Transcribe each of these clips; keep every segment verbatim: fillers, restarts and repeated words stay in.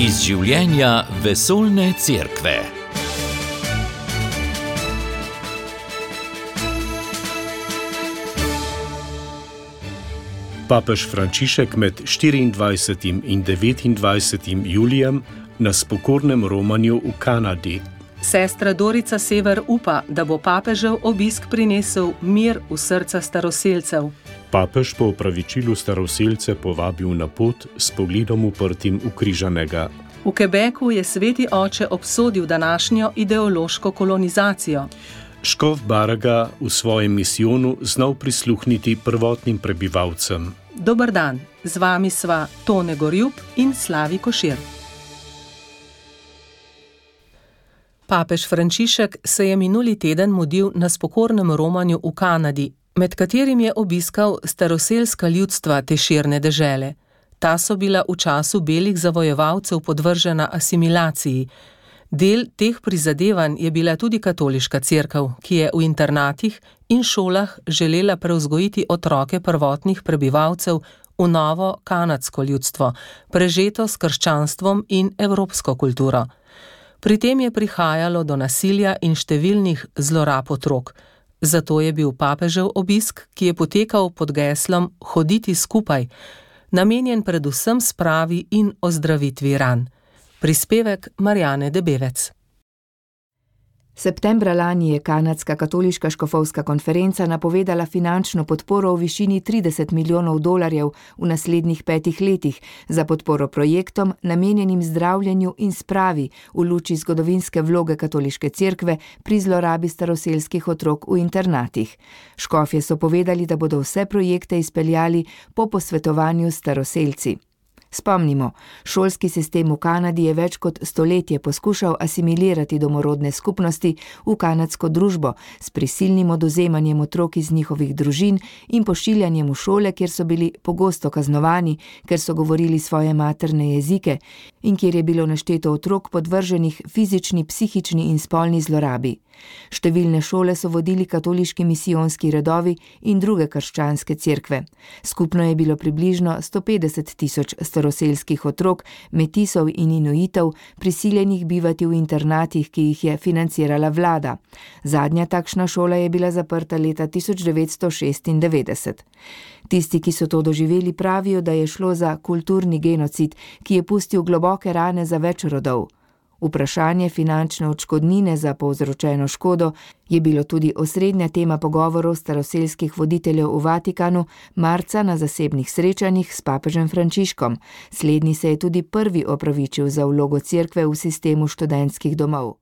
Iz življenja vesoljne cerkve. Papež Frančišek med štiriindvajsetim in devetindvajsetim julijem na spokornem romanju v Kanadi. Sestra Dorica Sever upa, da bo papežev obisk prinesel mir v srca staroselcev. Papež po opravičilu staroselce povabil na pot s pogledom uprtim v križanega. V Quebecu je sveti oče obsodil današnjo ideološko kolonizacijo. Škof Baraga v svojem misijonu znal prisluhniti prvotnim prebivalcem. Dober dan, z vami sva Tone Gorjup in Slavi Košir. Papež Frančišek se je minuli teden mudil na spokornem romanju v Kanadi, med katerim je obiskal staroselska ljudstva te širne dežele. Ta so bila v času belih zavojevalcev podvržena asimilaciji. Del teh prizadevanj je bila tudi katoliška cerkev, ki je v internatih in šolah želela prevzgojiti otroke prvotnih prebivalcev v novo kanadsko ljudstvo, prežeto s krščanstvom in evropsko kulturo. Pri tem je prihajalo do nasilja in številnih zlorab otrok. Zato je bil papežev obisk, ki je potekal pod geslom Hoditi skupaj, namenjen predvsem spravi in ozdravitvi ran. Prispevek Marjane Debevec. Septembra lani je Kanadska katoliška škofovska konferenca napovedala finančno podporo v višini trideset milijonov dolarjev v naslednjih petih letih za podporo projektom, namenjenim zdravljenju in spravi v luči zgodovinske vloge katoliške cerkve pri zlorabi staroselskih otrok v internatih. Škofje so povedali, da bodo vse projekte izpeljali po posvetovanju s staroselci. Spomnimo, šolski sistem v Kanadi je več kot stoletje poskušal asimilirati domorodne skupnosti v kanadsko družbo s prisilnim odvzemanjem otrok iz njihovih družin in pošiljanjem v šole, kjer so bili pogosto kaznovani, ker so govorili svoje materne jezike in kjer je bilo našteto otrok podvrženih fizični, psihični in spolni zlorabi. Številne šole so vodili katoliški misijonski redovi in druge krščanske cerkve. Skupno je bilo približno sto petdeset tisoč staroselskih otrok, metisov in inuitov, prisiljenih bivati v internatih, ki jih je financirala vlada. Zadnja takšna šola je bila zaprta leta tisoč devetsto šestindevetdeset. Tisti, ki so to doživeli, pravijo, da je šlo za kulturni genocid, ki je pustil globoke rane za več rodov. Vprašanje finančne odškodnine za povzročeno škodo je bilo tudi osrednja tema pogovorov staroselskih voditeljev v Vatikanu marca na zasebnih srečanjih s papežem Frančiškom. Slednji se je tudi prvi opravičil za vlogo cerkve v sistemu študentskih domov.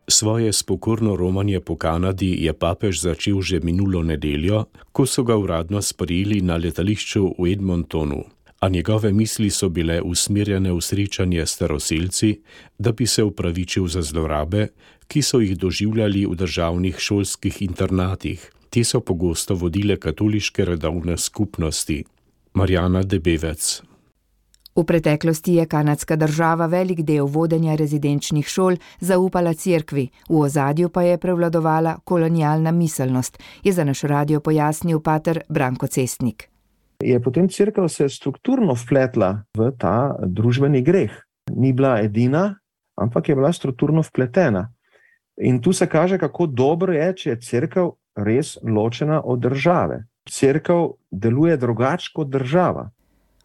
Svoje spokorno romanje po Kanadi je papež začel že minulo nedeljo, ko so ga uradno sprejeli na letališču v Edmontonu, a njegove misli so bile usmerjene v srečanje staroselci, da bi se opravičil za zlorabe, ki so jih doživljali v državnih šolskih internatih. Te so pogosto vodile katoliške redovne skupnosti. Marjana Debevec. V preteklosti je kanadska država velik del vodenja rezidenčnih šol zaupala cerkvi, v ozadju pa je prevladovala kolonialna miselnost, je za naš radio pojasnil pater Branko Cestnik. Je potem cerkev se strukturno vpletla v ta družbeni greh. Ni bila edina, ampak je bila strukturno vpletena. In tu se kaže, kako dobro je, če je cerkev res ločena od države. Cerkev deluje drugače kot država.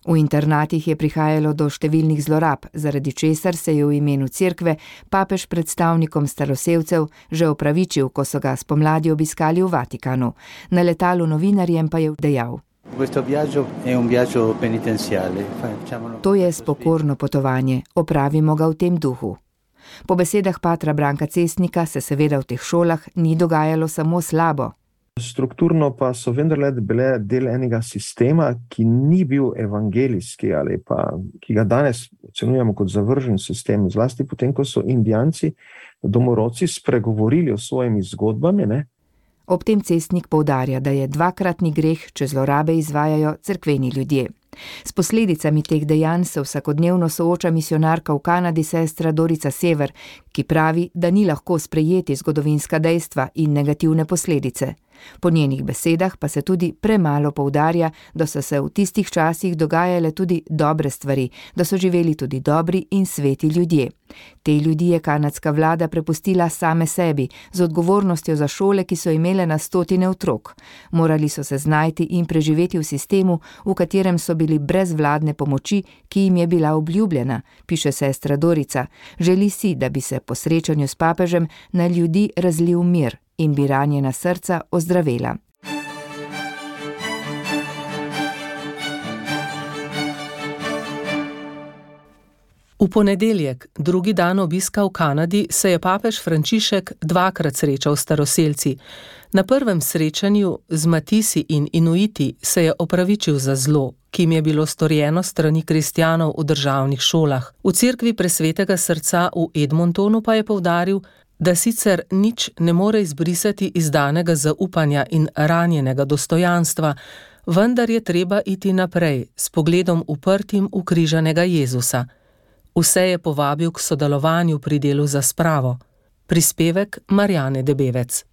V internatih je prihajalo do številnih zlorab, zaradi česar se je v imenu cerkve papež predstavnikom staroselcev že opravičil, ko so ga spomladi obiskali v Vatikanu. Na letalu novinarjem pa je dejal: To je spokorno potovanje, opravimo ga v tem duhu. Po besedah patra Branka Cestnika se seveda v teh šolah ni dogajalo samo slabo. Strukturno pa so vendarle bile del enega sistema, ki ni bil evangelijski ali pa, ki ga danes ocenjujemo kot zavržen sistem, zlasti potem, ko so Indijanci, domorodci spregovorili o svojimi zgodbami, ne? Ob tem Cestnik poudarja, da je dvakratni greh, če zlorabe izvajajo cerkveni ljudje. S posledicami teh dejanj se vsakodnevno sooča misionarka v Kanadi sestra Dorica Sever, ki pravi, da ni lahko sprejeti zgodovinska dejstva in negativne posledice. Po njenih besedah pa se tudi premalo poudarja, da so se v tistih časih dogajale tudi dobre stvari, da so živeli tudi dobri in sveti ljudje. Te ljudi je kanadska vlada prepustila same sebi, z odgovornostjo za šole, ki so imele na stotine otrok. Morali so se znajti in preživeti v sistemu, v katerem so bili brez vladne pomoči, ki jim je bila obljubljena, piše sestra Dorica. Želi si, da bi se po srečanju s papežem na ljudi razlil mir in bi ranjena srca ozdravela. V ponedeljek, drugi dan obiska v Kanadi, se je papež Frančišek dvakrat srečal s staroselci. Na prvem srečanju z Matisi in Inuiti se je opravičil za zlo, ki jim je bilo storjeno strani kristjanov v državnih šolah. V cerkvi Presvetega srca v Edmontonu pa je poudaril, da sicer nič ne more izbrisati izdanega zaupanja in ranjenega dostojanstva, vendar je treba iti naprej s pogledom uprtim v križanega Jezusa. Vse je povabil k sodelovanju pri delu za spravo. Prispevek Marjane Debevec.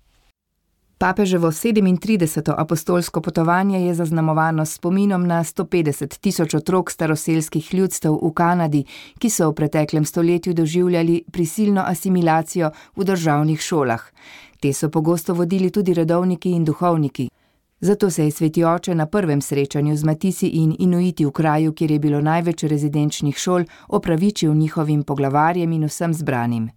Papeževo sedemintrideseto apostolsko potovanje je zaznamovano s spominom na sto petdeset tisoč otrok staroselskih ljudstev v Kanadi, ki so v preteklem stoletju doživljali prisilno asimilacijo v državnih šolah. Te so pogosto vodili tudi redovniki in duhovniki. Zato se je sveti oče na prvem srečanju z Matisi in Inuiti v kraju, kjer je bilo največ rezidenčnih šol, opravičil njihovim poglavarjem in vsem zbranim.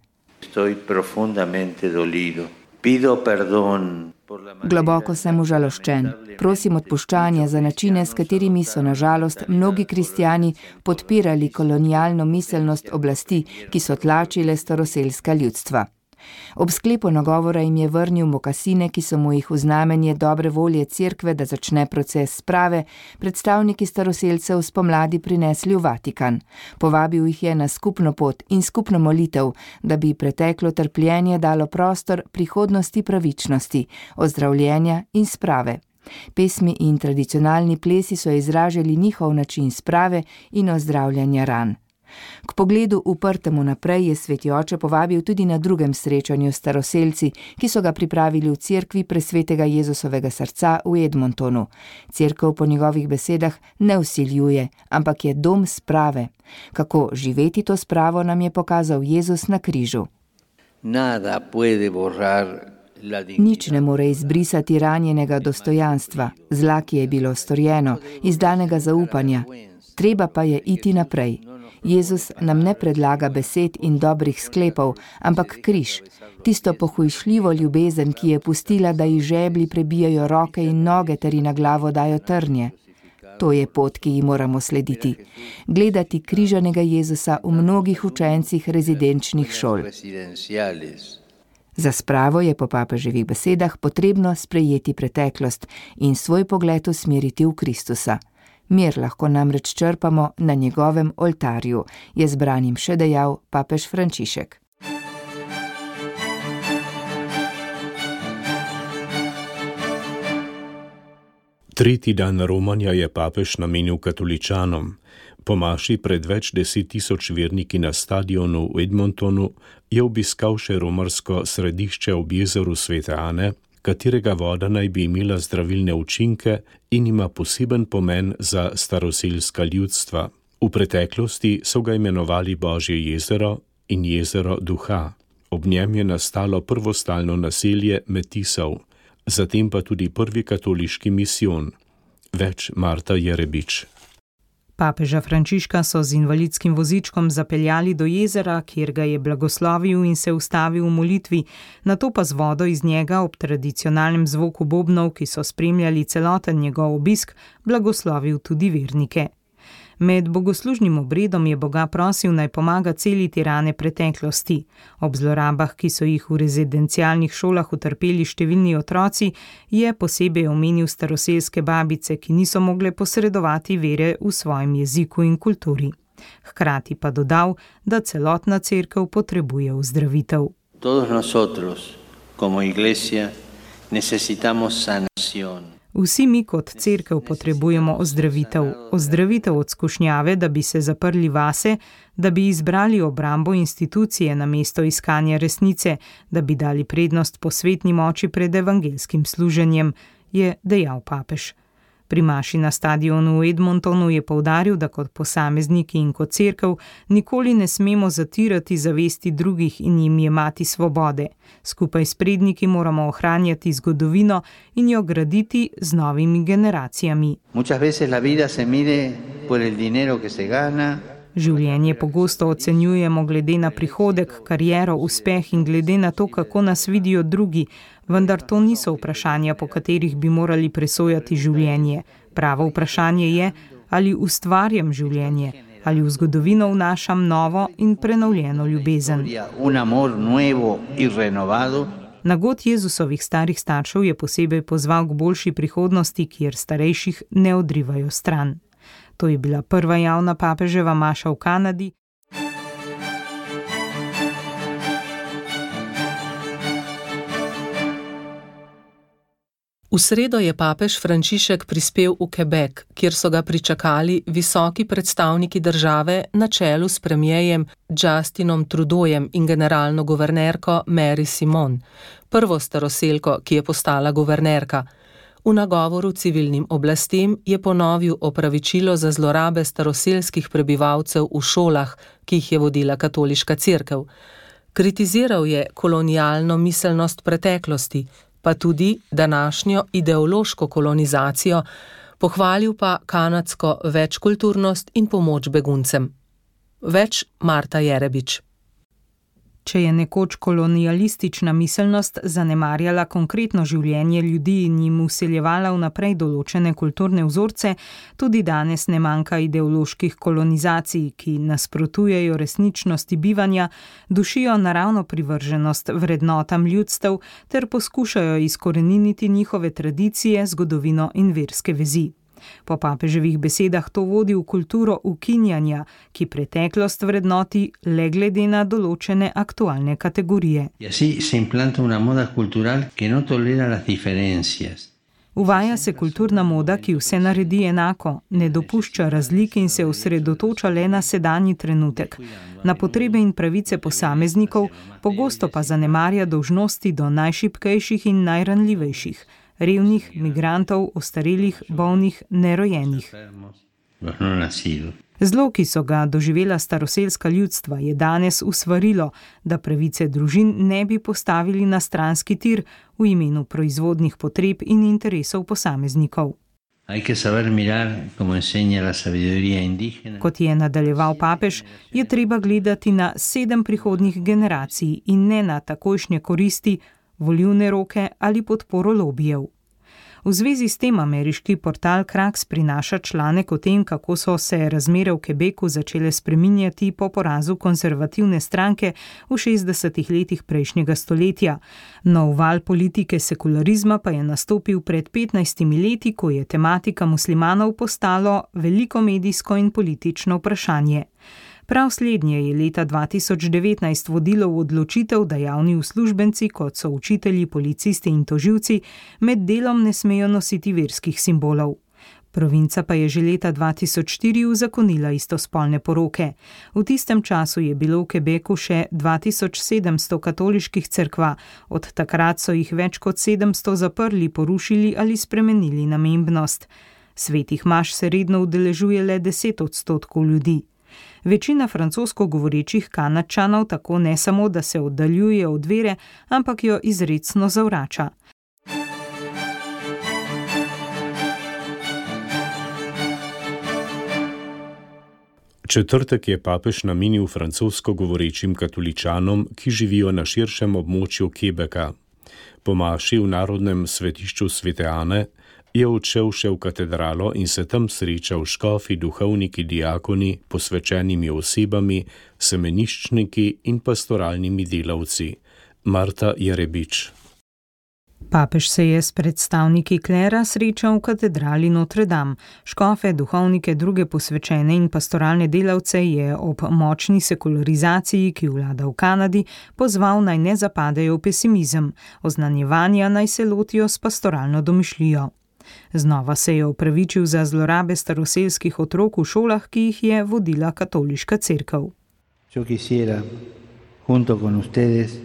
Globoko sem užaloščen. Prosim odpuščanja za načine, s katerimi so na žalost mnogi kristjani podpirali kolonialno miselnost oblasti, ki so tlačile staroselska ljudstva. Ob sklepu nagovora jim je vrnil mokasine, ki so mu jih v znamenje dobre volje cerkve, da začne proces sprave, predstavniki staroselcev spomladi prinesli v Vatikan. Povabil jih je na skupno pot in skupno molitev, da bi preteklo trpljenje dalo prostor prihodnosti pravičnosti, ozdravljenja in sprave. Pesmi in tradicionalni plesi so izražali njihov način sprave in ozdravljanja ran. K pogledu uprtemu naprej je sveti oče povabil tudi na drugem srečanju s staroselci, ki so ga pripravili v cerkvi Presvetega Jezusovega srca v Edmontonu. Cerkev po njegovih besedah ne vsiljuje, ampak je dom sprave. Kako živeti to spravo, nam je pokazal Jezus na križu. Nič ne more izbrisati ranjenega dostojanstva, zla, ki je bilo storjeno, izdanega zaupanja. Treba pa je iti naprej. Jezus nam ne predlaga besed in dobrih sklepov, ampak križ, tisto pohujšljivo ljubezen, ki je pustila, da ji žeblji prebijajo roke in noge ter ji na glavo dajo trnje. To je pot, ki ji moramo slediti. Gledati križanega Jezusa v mnogih učencih rezidenčnih šol. Za spravo je po papeževih besedah potrebno sprejeti preteklost in svoj pogled usmeriti v Kristusa. Mir lahko namreč črpamo na njegovem oltarju, je zbranim še dejal papež Frančišek. Tretji dan romanja je papež namenil katoličanom. Po maši pred več deset tisoč verniki na stadionu v Edmontonu je obiskal še romarsko središče ob jezeru Svete Ane, katerega voda naj bi imela zdravilne učinke in ima poseben pomen za staroselska ljudstva. V preteklosti so ga imenovali Božje jezero in jezero duha. Ob njem je nastalo prvo stalno naselje Metisov, zatem pa tudi prvi katoliški misijon. Več Marta Jerebič. Papeža Frančiška so z invalidskim vozičkom zapeljali do jezera, kjer ga je blagoslovil in se ustavil v molitvi, nato pa z vodo iz njega ob tradicionalnem zvoku bobnov, ki so spremljali celoten njegov obisk, blagoslovil tudi vernike. Med bogoslužnim obredom je Boga prosil, naj pomaga celiti rane preteklosti. Ob zlorabah, ki so jih v rezidencialnih šolah utrpeli številni otroci, je posebej omenil staroselske babice, ki niso mogle posredovati vere v svojem jeziku in kulturi. Hkrati pa dodal, da celotna cerkev potrebuje ozdravitev. Todos nosotros, como iglesia, necesitamos sanación. Vsi mi kot cerkev potrebujemo ozdravitev, ozdravitev od skušnjave, da bi se zaprli vase, da bi izbrali obrambo institucije namesto iskanja resnice, da bi dali prednost posvetni moči pred evangelskim služenjem, je dejal papež. Pri maši na stadionu v Edmontonu je poudaril, da kot posamezniki in kot cerkev nikoli ne smemo zatirati zavesti drugih in jim jemati svobode. Skupaj s predniki moramo ohranjati zgodovino in jo graditi z novimi generacijami. Življenje pogosto ocenjujemo glede na prihodek, kariero, uspeh in glede na to, kako nas vidijo drugi, vendar to niso vprašanja, po katerih bi morali presojati življenje. Pravo vprašanje je, ali ustvarjam življenje, ali v zgodovino vnašam novo in prenovljeno ljubezen. Na god Jezusovih starih staršev je posebej pozval k boljši prihodnosti, kjer starejših ne odrivajo stran. To je bila prva javna papeževa maša v Kanadi. V sredo je papež Frančišek prispel v Quebec, kjer so ga pričakali visoki predstavniki države na čelu s premierjem Justinom Trudeaujem in generalno guvernerko Mary Simon, prvo staroselko, ki je postala guvernerka. V nagovoru civilnim oblastem je ponovil opravičilo za zlorabe staroselskih prebivalcev v šolah, ki jih je vodila katoliška cerkev. Kritiziral je kolonialno miselnost preteklosti, pa tudi današnjo ideološko kolonizacijo, pohvalil pa kanadsko večkulturnost in pomoč beguncem. Več Marta Jerebič. Če je nekoč kolonialistična miselnost zanemarjala konkretno življenje ljudi in jim vseljevala vnaprej določene kulturne vzorce, tudi danes ne manjka ideoloških kolonizacij, ki nasprotujejo resničnosti bivanja, dušijo naravno privrženost vrednotam ljudstev ter poskušajo izkoreniniti njihove tradicije, zgodovino in verske vezi. Po papeževih besedah to vodi v kulturo ukinjanja, ki preteklost vrednoti le glede na določene aktualne kategorije. Uvaja se kulturna moda, ki vse naredi enako, ne dopušča razlik in se osredotoča le na sedanji trenutek, na potrebe in pravice posameznikov, pogosto pa zanemarja dolžnosti do najšibkejših in najranljivejših, revnih, migrantov, ostarelih, bolnih, nerojenih. Zlo, ki so ga doživela staroselska ljudstva, je danes usvarilo, da pravice družin ne bi postavili na stranski tir v imenu proizvodnih potreb in interesov posameznikov. Kot je nadaljeval papež, je treba gledati na sedem prihodnjih generacij in ne na takojšnje koristi, volilne roke ali podporo lobijev. V zvezi s tem ameriški portal Kraks prinaša članek o tem, kako so se razmere v Quebecu začele spreminjati po porazu konservativne stranke v šestdesetih letih prejšnjega stoletja. Nov val politike sekularizma pa je nastopil pred petnajstimi leti, ko je tematika muslimanov postalo veliko medijsko in politično vprašanje. Prav slednje je leta dva tisoč devetnajst vodilo v odločitev, da javni uslužbenci, kot so učitelji, policisti in tožilci, med delom ne smejo nositi verskih simbolov. Provinca pa je že leta dva tisoč štiri uzakonila istospolne poroke. V tistem času je bilo v Quebecu še dva tisoč sedemsto katoliških cerkva, od takrat so jih več kot sedemsto zaprli, porušili ali spremenili namembnost. Svetih maš se redno udeležuje le deset odstotkov ljudi. Večina francosko govorečih Kanadčanov tako ne samo, da se oddaljuje od vere, ampak jo izrecno zavrača. Četrtek je papež namenil francosko govorečim katoličanom, ki živijo na širšem območju Quebeca. Po maši v narodnem svetišču Svete Ane je odšel še v katedralo in se tam srečal škofi, duhovniki, diakoni, posvečenimi osebami, semeniščniki in pastoralnimi delavci. Marta Jerebič. Papež se je s predstavniki klera srečal v katedrali Notre Dame. Škofe, duhovnike, druge posvečene in pastoralne delavce je ob močni sekularizaciji, ki vlada v Kanadi, pozval naj ne zapadejo v pesimizem, oznanjevanja naj se lotijo s pastoralno domišljijo. Znova se je opravičil za zlorabe staroselskih otrok v šolah, ki jih je vodila katoliška cerkev. Yo quisiera, junto con ustedes,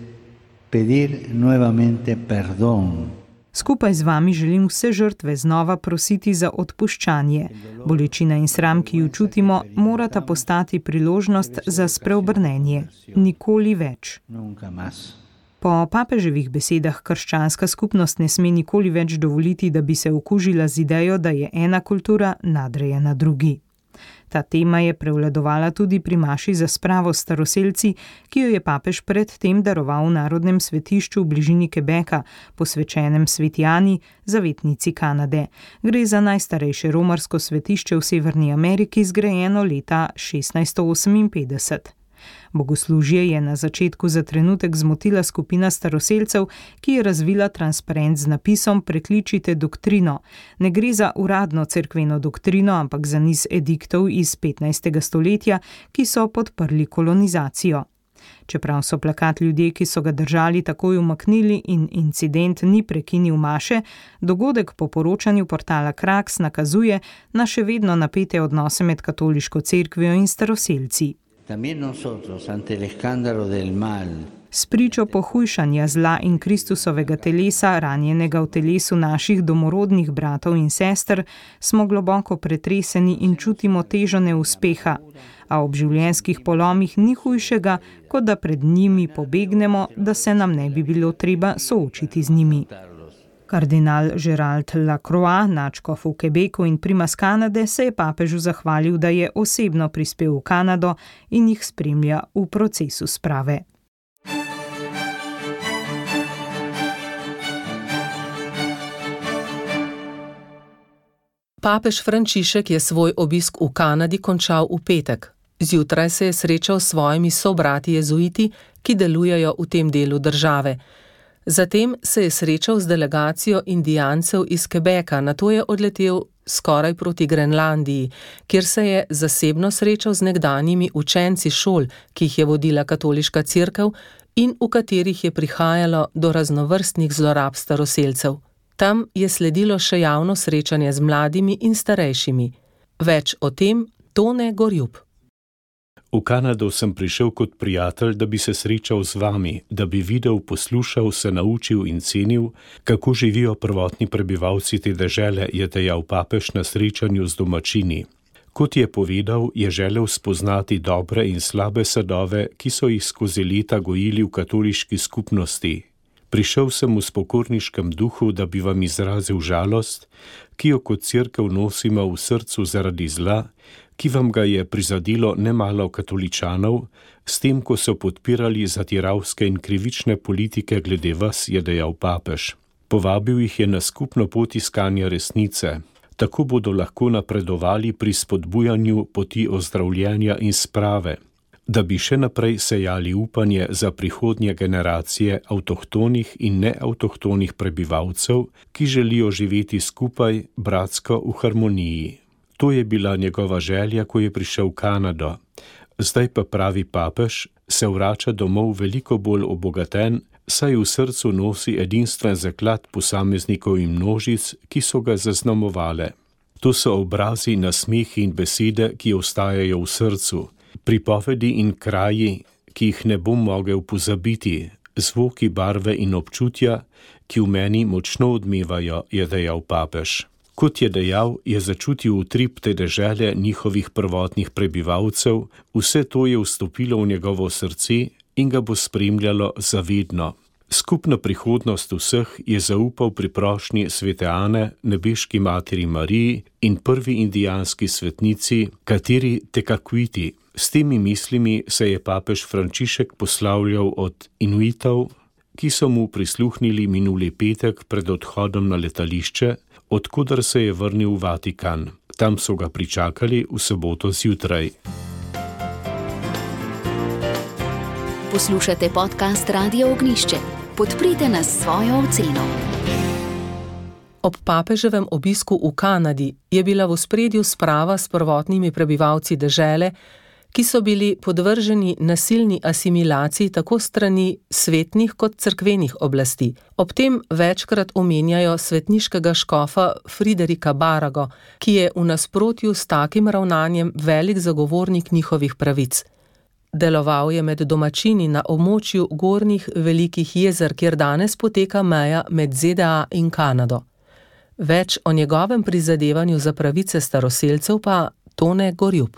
pedir nuevamente perdón. Skupaj z vami želim vse žrtve znova prositi za odpuščanje. Bolečina in sram, ki ju čutimo, morata postati priložnost za spreobrnenje. Nikoli več. Po papeževih besedah krščanska skupnost ne sme nikoli več dovoliti, da bi se okužila z idejo, da je ena kultura nadrejena drugi. Ta tema je prevladovala tudi pri maši za spravo s staroselci, ki jo je papež pred tem daroval v narodnem svetišču v bližini Quebeca, posvečenem Sveti Ani, zavetnici Kanade. Gre za najstarejše romarsko svetišče v Severni Ameriki, zgrajeno leta šestnajststo oseminpetdeset. Bogoslužje je na začetku za trenutek zmotila skupina staroselcev, ki je razvila transparent z napisom Prekličite doktrino. Ne gre za uradno cerkveno doktrino, ampak za niz ediktov iz petnajstega stoletja, ki so podprli kolonizacijo. Čeprav so plakat ljudje, ki so ga držali, takoj umaknili in incident ni prekinil maše, dogodek po poročanju portala Kraks nakazuje na še vedno napete odnose med katoliško cerkvijo in staroselci. S pričo pohujšanja zla in Kristusovega telesa, ranjenega v telesu naših domorodnih bratov in sester, smo globoko pretreseni in čutimo težo neuspeha, a ob življenjskih polomih ni hujšega, kot da pred njimi pobegnemo, da se nam ne bi bilo treba soočiti z njimi. Kardinal Gerald Lacroix, nadškof v Quebecu in primas Kanade, se je papežu zahvalil, da je osebno prispel v Kanado in jih spremlja v procesu sprave. Papež Frančišek je svoj obisk v Kanadi končal v petek. Zjutraj se je srečal s svojimi sobrati jezuiti, ki delujejo v tem delu države. Zatem se je srečal z delegacijo indijancev iz Quebeca, nato je odletel skoraj proti Grenlandiji, kjer se je zasebno srečal z nekdanjimi učenci šol, ki jih je vodila katoliška cerkev in v katerih je prihajalo do raznovrstnih zlorab staroselcev. Tam je sledilo še javno srečanje z mladimi in starejšimi. Več o tem Tone Gorjup. V Kanado sem prišel kot prijatelj, da bi se srečal z vami, da bi videl, poslušal, se naučil in cenil, kako živijo prvotni prebivalci te dežele, je dejal papež na srečanju z domačini. Kot je povedal, je želel spoznati dobre in slabe sadove, ki so jih skozi leta gojili v katoliški skupnosti. Prišel sem v spokorniškem duhu, da bi vam izrazil žalost, ki jo kot cerkev nosimo v srcu zaradi zla, ki vam ga je prizadilo nemalo katoličanov, s tem, ko so podpirali zatiravske in krivične politike glede vas, je dejal papež. Povabil jih je na skupno pot iskanja resnice. Tako bodo lahko napredovali pri spodbujanju poti ozdravljenja in sprave, da bi še naprej sejali upanje za prihodnje generacije avtohtonih in neavtohtonih prebivalcev, ki želijo živeti skupaj, bratsko v harmoniji. To je bila njegova želja, ko je prišel v Kanado. Zdaj pa, pravi papež, se vrača domov veliko bolj obogaten, saj v srcu nosi edinstven zaklad posameznikov in množic, ki so ga zaznamovale. To so obrazi, nasmehi in besede, ki ostajajo v srcu, pripovedi in kraji, ki jih ne bom mogel pozabiti, zvoki, barve in občutja, ki v meni močno odmevajo, je dejal papež. Kot je dejal, je začutil utrip te dežele njihovih prvotnih prebivalcev, vse to je vstopilo v njegovo srce in ga bo spremljalo zavedno. Skupna prihodnost vseh je zaupal pri prošnji svete Ane, nebeški materi Mariji in prvi indijanski svetnici, kateri Tekakwiti. S temi mislimi se je papež Frančišek poslavljal od Inuitov, ki so mu prisluhnili minuli petek pred odhodom na letališče, odkudar se je vrnil v Vatikan. Tam so ga pričakali v soboto zjutraj. Poslušate podcast Radio Ognišče. Podprite nas s svojo oceno. Ob papeževem obisku v Kanadi je bila v ospredju sprava s prvotnimi prebivalci dežele, ki so bili podvrženi nasilni asimilaciji tako strani svetnih kot cerkvenih oblasti. Ob tem večkrat omenjajo svetniškega škofa Friderika Barago, ki je v nasprotju s takim ravnanjem velik zagovornik njihovih pravic. Deloval je med domačini na območju gornjih velikih jezer, kjer danes poteka meja med Z D A in Kanado. Več o njegovem prizadevanju za pravice staroselcev pa Tone Gorjup.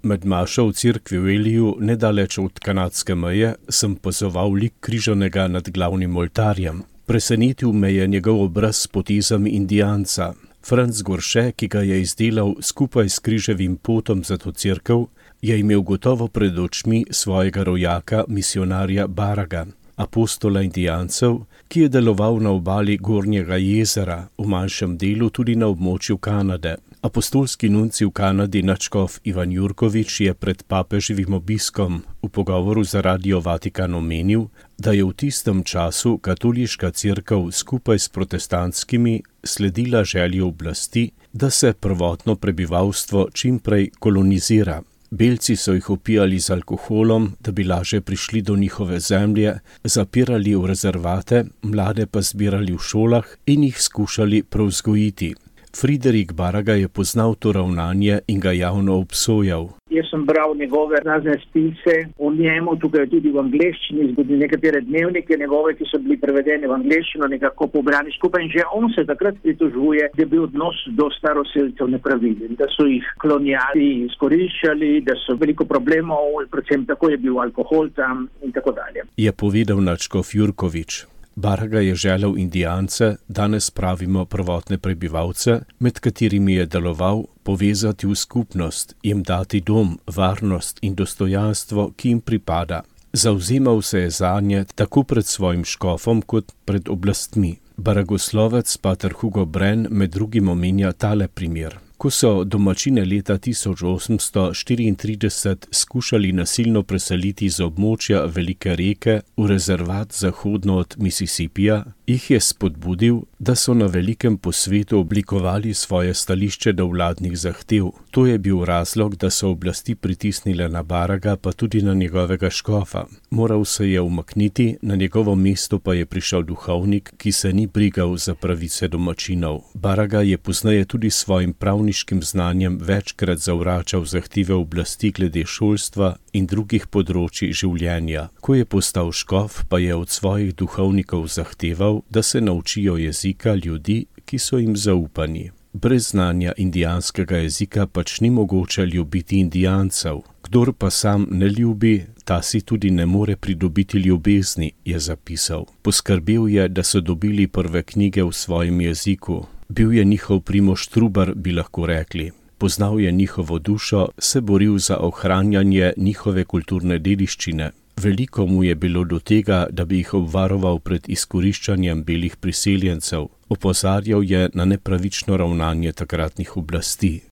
Med mašo v cerkvi v Eliju, nedaleč od kanadske meje, sem opazoval lik križanega nad glavnim oltarjem. Presenetil me je njegov obraz s potezami indijanca. Franc Gorše, ki ga je izdelal skupaj s križevim potom za to cerkev, je imel gotovo pred očmi svojega rojaka, misionarja Baraga, apostola indijancev, ki je deloval na obali Gornjega jezera, v manjšem delu tudi na območju Kanade. Apostolski nunci v Kanadi nadškof Ivan Jurkovič je pred papeževim obiskom v pogovoru za Radio Vatikan omenil, da je v tistem času katoliška cerkev skupaj s protestantskimi sledila želji oblasti, da se prvotno prebivalstvo čimprej kolonizira. Belci so jih opijali z alkoholom, da bi lažje prišli do njihove zemlje, zapirali v rezervate, mlade pa zbirali v šolah in jih skušali prevzgojiti. Friderik Baraga je poznal to ravnanje in ga javno obsojal. Jaz sem bral njegove razne spise o njemu, tukaj tudi v angleščini, zgodili nekatere dnevnike njegove, ki so bili prevedeni v angleščino, nekako pobrani skupaj in že on se takrat pritožuje, da je bil odnos do staroselcev nepravilen, da so jih kolonijali izkoriščali, da so veliko problemov, predvsem tako je bil alkohol tam in tako dalje. Je povedal nadškof Jurkovič. Baraga je želel indijance, danes pravimo prvotne prebivalce, med katerimi je deloval, povezati v skupnost, jim dati dom, varnost in dostojanstvo, ki jim pripada. Zavzemal se je zanje tako pred svojim škofom kot pred oblastmi. Baragoslovec pater Hugo Brenn med drugim omenja tale primer. Ko so domačine leta tisoč osemsto štiriintrideset skušali nasilno preseliti z območja Velike reke v rezervat zahodno od Mississippija, jih je spodbudil, da so na velikem posvetu oblikovali svoje stališče do vladnih zahtev. To je bil razlog, da so oblasti pritisnile na Baraga, pa tudi na njegovega škofa. Moral se je umakniti, na njegovo mesto pa je prišel duhovnik, ki se ni brigal za pravice domačinov. Baraga je pozneje tudi svojim pravniškim znanjem večkrat zavračal zahteve oblasti glede šolstva in drugih področij življenja. Ko je postal škof, pa je od svojih duhovnikov zahteval, da se naučijo jezika ljudi, ki so jim zaupani. Brez znanja indijanskega jezika pač ni mogoče ljubiti indijancev. Kdor pa sam ne ljubi, ta si tudi ne more pridobiti ljubezni, je zapisal. Poskrbel je, da so dobili prve knjige v svojem jeziku. Bil je njihov Primož Trubar, bi lahko rekli. Poznal je njihovo dušo, se boril za ohranjanje njihove kulturne dediščine. Veliko mu je bilo do tega, da bi jih obvaroval pred izkoriščanjem belih priseljencev. Opozarjal je na nepravično ravnanje takratnih oblasti.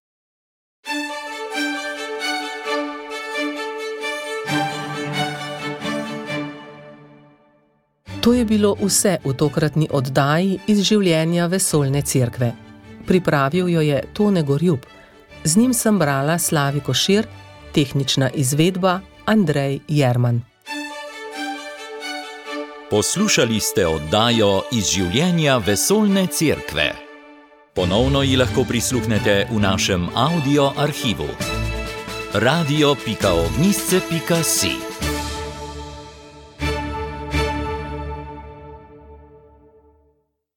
To je bilo vse v tokratni oddaji iz življenja Vesoljne cerkve. Pripravil jo je Tone Gorjup. Z njim sem brala Slavi Košir, tehnična izvedba Andrej Jerman. Poslušali ste oddajo iz življenja Vesoljne cerkve. Ponovno ji lahko prisluhnete v našem audio arhivu. radio pika ognjišče pika si